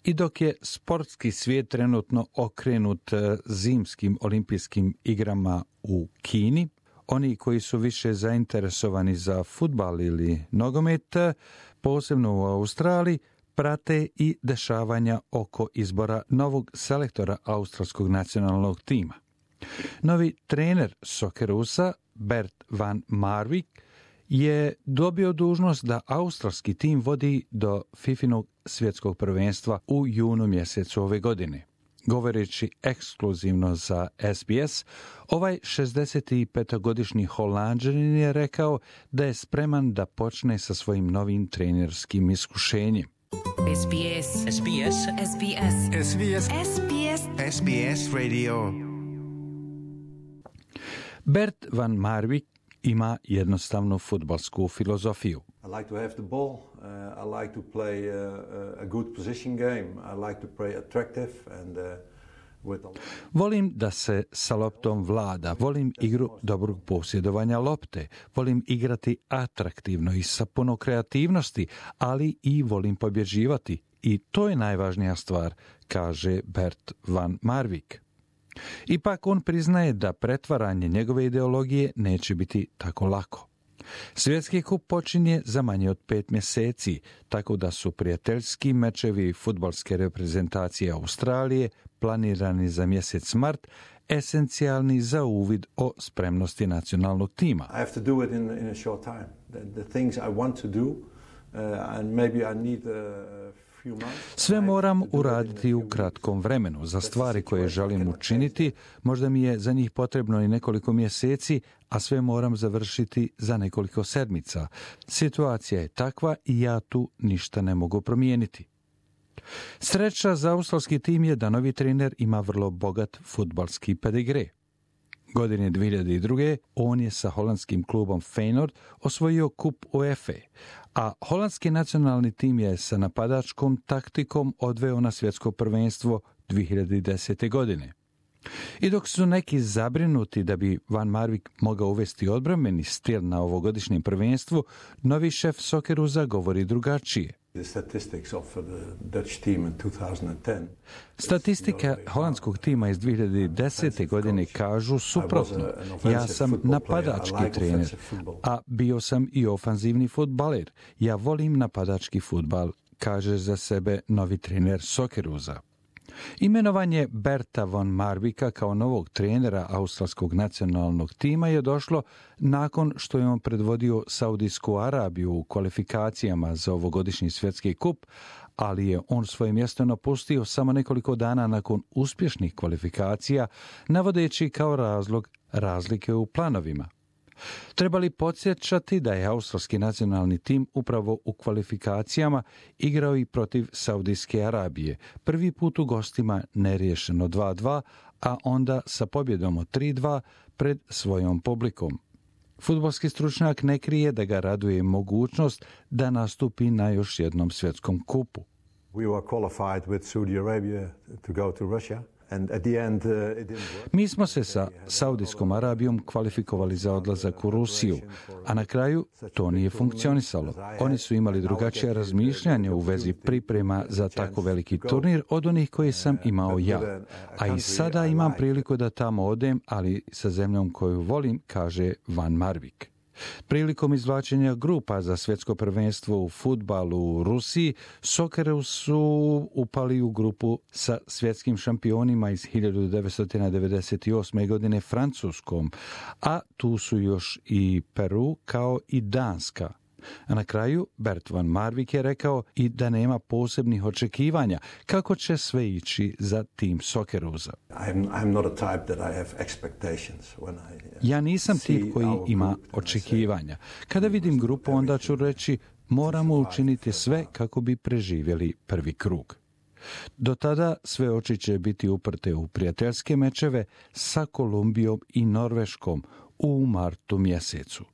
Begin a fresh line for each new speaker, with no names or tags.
I dok je sportski svijet trenutno okrenut zimskim olimpijskim igrama u Kini, oni koji su više zainteresovani za fudbal ili nogomet, posebno u Australiji, prate i dešavanja oko izbora novog selektora australskog nacionalnog tima. Novi trener Soccerusa, Bert van Marwijk, je dobio dužnost da australski tim vodi do FIFInog svjetskog prvenstva u junu mjesecu ove godine. Govoreći ekskluzivno za SBS, ovaj 65-godišnji Holanđanin je rekao da je spreman da počne sa svojim novim trenerskim iskušenjem.
SBS. SBS. SBS. SBS. SBS.
SBS Radio.
Bert van Marwijk ima jednostavnu fudbalsku filozofiju.
I like to have the ball. I like to play a good position game. I like to play attractive and
Volim da se sa loptom vlada, volim igru dobrog posjedovanja lopte, volim igrati atraktivno i sa puno kreativnosti, ali i volim pobjeđivati. I to je najvažnija stvar, kaže Bert van Marwijk. Ipak on priznaje da pretvaranje njegove ideologije neće biti tako lako. Svjetski kup počinje za manje od 5 mjeseci, tako da su prijateljski mečevi fudbalske reprezentacije Australije, planirani za mjesec mart, esencijalni za uvid o spremnosti nacionalnog tima.
I have to do it in a short time. The things I want to do, and maybe I need
Sve moram uraditi u kratkom vremenu. Za stvari koje želim učiniti, možda mi je za njih potrebno i nekoliko mjeseci, a sve moram završiti za nekoliko sedmica. Situacija je takva i ja tu ništa ne mogu promijeniti. Sreća za australski tim je da novi trener ima vrlo bogat fudbalski pedigre. Godine 2002. on je sa holandskim klubom Feyenoord osvojio kup UEFA, a holandski nacionalni tim je sa napadačkom taktikom odveo na svjetsko prvenstvo 2010. godine. I dok su neki zabrinuti da bi Van Marwijk mogao uvesti odbrambeni stil na ovogodišnjem prvenstvu, novi šef Soccerusa govori drugačije. Statistika holandskog tima iz 2010. godine kažu suprotno. Ja sam napadački trener, a bio sam i ofanzivni fudbaler. Ja volim napadački fudbal, kaže za sebe novi trener Soccerusa. Imenovanje Berta van Marwijka kao novog trenera australskog nacionalnog tima je došlo nakon što je on predvodio Saudijsku Arabiju u kvalifikacijama za ovogodišnji svjetski kup, ali je on svoje mjesto napustio samo nekoliko dana nakon uspješnih kvalifikacija, navodeći kao razlog razlike u planovima. Treba li podsjećati da je australski nacionalni tim upravo u kvalifikacijama igrao i protiv Saudijske Arabije, prvi put u gostima neriješeno 2-2, a onda sa pobjedom od 3-2 pred svojom publikom. Fudbalski stručnjak ne krije da ga raduje mogućnost da nastupi na još jednom svjetskom kupu.
We were qualified with Saudi Arabia to go to Russia.
Mi smo se sa Saudijskom Arabijom kvalifikovali za odlazak u Rusiju, a na kraju to nije funkcionisalo. Oni su imali drugačije razmišljanje u vezi priprema za tako veliki turnir od onih koje sam imao ja. A i sada imam priliku da tamo odem, ali sa zemljom koju volim, kaže Van Marwijk. Prilikom izvlačenja grupa za svjetsko prvenstvo u fudbalu u Rusiji, Socceroos su upali u grupu sa svjetskim šampionima iz 1998. godine Francuskom, a tu su još i Peru kao i Danska. A na kraju Bert van Marwijk je rekao i da nema posebnih očekivanja kako će sve ići za tim Soccerusa. Ja nisam tip koji ima očekivanja. Kada vidim grupu, onda ću reći moramo učiniti sve kako bi preživjeli prvi krug. Do tada sve oči će biti uprte u prijateljske mečeve sa Kolumbijom i Norveškom u martu mjesecu.